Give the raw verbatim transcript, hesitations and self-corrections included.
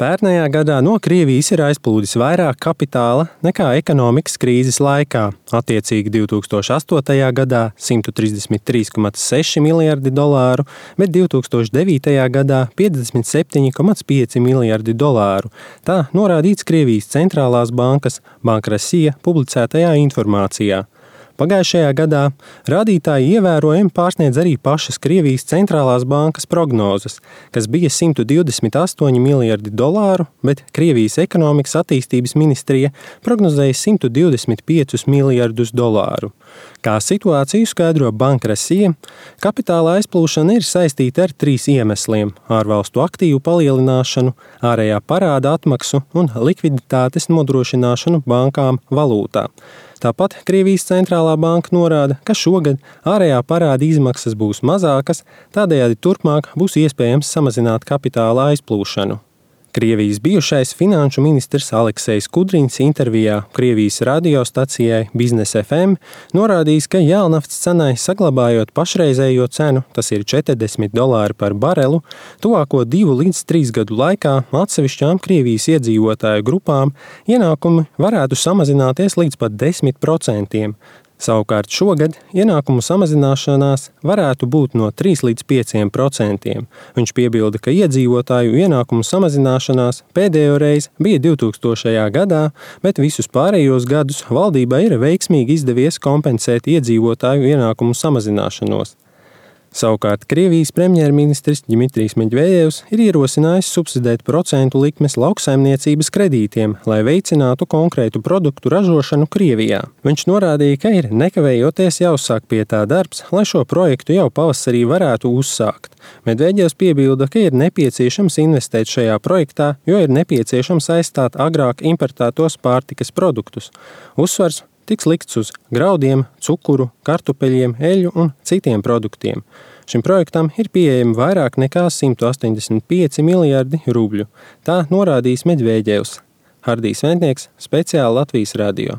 Pērnējā gadā no Krievijas ir aizplūdis vairāk kapitāla nekā ekonomikas krīzes laikā. Attiecīgi divi tūkstoši astotajā gadā simt trīsdesmit trīs komats seši miljardi dolāru, bet divi tūkstoši devītajā gadā piecdesmit septiņi komats pieci miljardi dolāru. Tā norādīts Krievijas centrālās bankas Banka Rossija publicētajā informācijā. Pagājušajā gadā rādītāji ievērojami pārsniedz arī pašas Krievijas centrālās bankas prognozes, kas bija simt divdesmit astoņi miljardi dolāru, bet Krievijas ekonomikas attīstības ministrija prognozēja simt divdesmit piecus miljardus dolāru. Kā situāciju skaidro Banka Rossija, kapitāla aizplūšana ir saistīta ar trīs iemesliem – ārvalstu aktīvu palielināšanu, ārējā parāda atmaksu un likviditātes nodrošināšanu bankām valūtā. Tāpat Krievijas centrālā banka norāda, ka šogad ārējā parāda izmaksas būs mazākas, tādējādi turpmāk būs iespējams samazināt kapitāla aizplūšanu. Krievijas bijušais finanšu ministrs Aleksejs Kudriņs intervijā Krievijas radiostacijai Biznes F M norādījis, ka jēlnaftas cenai saglabājot pašreizējo cenu, tas ir četrdesmit dolāri par barelu, tuvāko divu līdz trīs gadu laikā atsevišķām Krievijas iedzīvotāju grupām ienākumi varētu samazināties līdz pat desmit procentiem. Savukārt šogad ienākumu samazināšanās varētu būt no trīs līdz pieciem procentiem. Viņš piebilda, ka iedzīvotāju ienākumu samazināšanās pēdējo reizi bija divtūkstošajā gadā, bet visus pārējos gadus valdībai ir veiksmīgi izdevies kompensēt iedzīvotāju ienākumu samazināšanos. Savukārt Krievijas premjerministrs Dmitrijs Medvedevs ir ierosinājis subsidēt procentu likmes lauksaimniecības kredītiem, lai veicinātu konkrētu produktu ražošanu Krievijā. Viņš norādīja, ka ir nekavējoties jāuzsāk pie tā darbs, lai šo projektu jau pavasarī varētu uzsākt. Medvedevs piebilda, ka ir nepieciešams investēt šajā projektā, jo ir nepieciešams aizstāt agrāk importētos pārtikas produktus. Uzsvars tiks likts uz graudiem, cukuru, kartupeļiem, eļļu un citiem produktiem. Šim projektam ir pieejami vairāk nekā simt astoņdesmit pieci miljardi rubļu. Tā norādījis Medvedevs. Hardijs Ventnieks, speciāli Latvijas radio.